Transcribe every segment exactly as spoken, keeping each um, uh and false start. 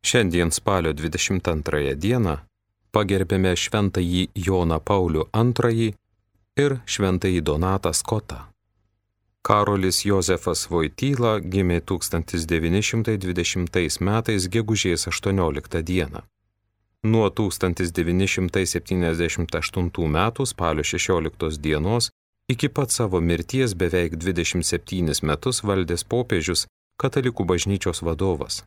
Šiandien spalio dvidešimt antrąją dieną pagerbėme šventąjį Joną Paulių antrąjį ir šventąjį Donatą Skotą. Karolis Jozefas Voityla gimė tūkstantis devyni šimtai dvidešimtais metais gegužės aštuonioliktą dieną. Nuo tūkstantis devyni šimtai septyniasdešimt aštuntų metų spalio šešioliktos dienos iki pat savo mirties beveik dvidešimt septynis metus valdęs popiežius, katalikų bažnyčios vadovas.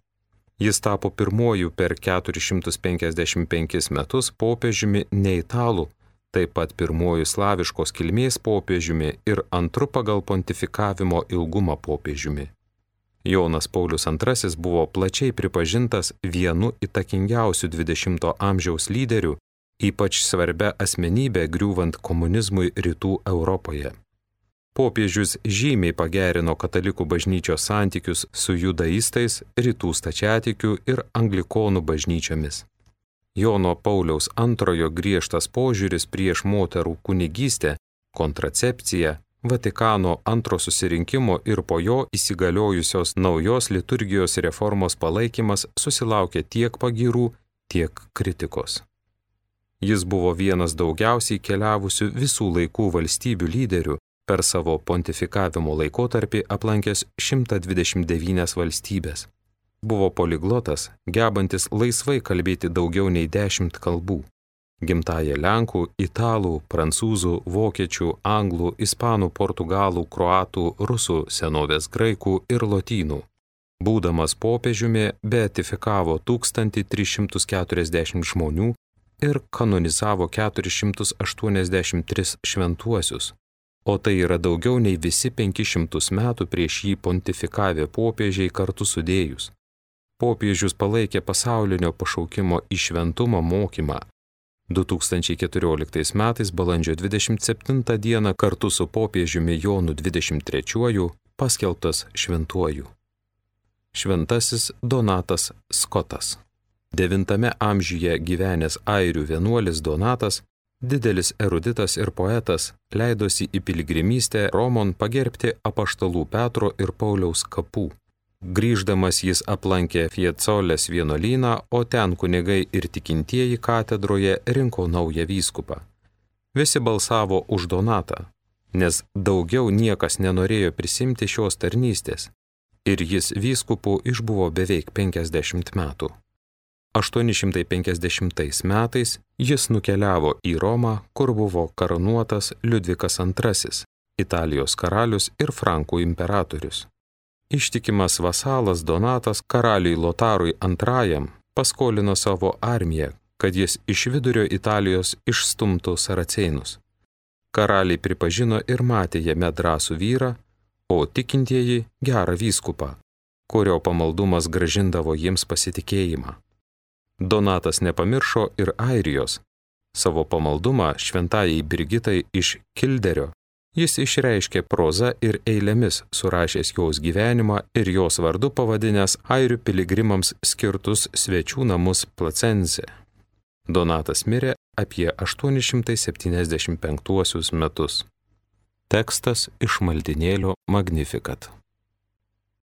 Jis tapo pirmuoju per keturis šimtus penkiasdešimt penkis metus popiežiumi ne italų, taip pat pirmuoju slaviškos kilmės popiežiumi ir antru pagal pontifikavimo ilgumą popiežiumi. Jonas Paulius antrasis buvo plačiai pripažintas vienu įtakingiausių dvidešimto amžiaus lyderių, ypač svarbia asmenybė griūvant komunizmui rytų Europoje. Popiežius žymiai pagerino katalikų bažnyčios santykius su judaistais, rytų stačiatikių ir anglikonų bažnyčiomis. Jono Pauliaus antrojo griežtas požiūris prieš moterų kunigystę, kontracepciją, Vatikano antro susirinkimo ir po jo įsigaliojusios naujos liturgijos reformos palaikymas susilaukė tiek pagyrų, tiek kritikos. Jis buvo vienas daugiausiai keliavusių visų laikų valstybių lyderių, per savo pontifikavimo laikotarpį aplankęs šimtą dvidešimt devynias valstybės. Buvo poliglotas, gebantis laisvai kalbėti daugiau nei dešimt kalbų. Gimtąją lenkų, italų, prancūzų, vokiečių, anglų, ispanų, portugalų, kroatų, rusų, senovės graikų ir lotynų. Būdamas popiežiumi, beatifikavo tūkstantį tris šimtus keturiasdešimt žmonių ir kanonizavo keturis šimtus aštuoniasdešimt tris šventuosius. O tai yra daugiau nei visi penkis šimtus metų prieš jį pontifikavę popiežiai kartu sudėjus. Popiežius palaikė pasaulinio pašaukimo į šventumą mokymą. du tūkstančiai keturioliktais metais balandžio dvidešimt septintą dieną kartu su popiežiumi Jonu dvidešimt trečiuoju paskelbtas šventuoju. Šventasis Donatas Skotas. Devintame amžiuje gyvenęs airių vienuolis Donatas, didelis eruditas ir poetas, leidosi į piligrimystę Romon pagerbti apaštalų Petro ir Pauliaus kapų. Grįždamas jis aplankė Fiecolės vienuolyną, o ten kunigai ir tikintieji katedroje rinko naują vyskupą. Visi balsavo už Donatą, nes daugiau niekas nenorėjo prisimti šios tarnystės, ir jis vyskupu išbuvo beveik penkiasdešimt metų. aštuoni šimtai penkiasdešimtais metais jis nukeliavo į Romą, kur buvo karūnuotas Liudvikas antrasis, Italijos karalius ir Frankų imperatorius. Ištikimas vasalas Donatas karaliui Lotarui antrajam paskolino savo armiją, kad jis iš vidurio Italijos išstumtų saracėnus. Karaliai pripažino ir matė jame drąsų vyrą, o tikintieji gerą vyskupą, kurio pamaldumas gražindavo jiems pasitikėjimą. Donatas nepamiršo ir Airijos. Savo pamaldumą šventajai Brigitai iš Kilderio jis išreiškė proza ir eilėmis, surašęs jos gyvenimą ir jos vardu pavadinęs airių piligrimams skirtus svečių namus Placense. Donatas mirė apie aštuoni šimtai septyniasdešimt penktuosius metus. Tekstas iš maldynėlio Magnificat.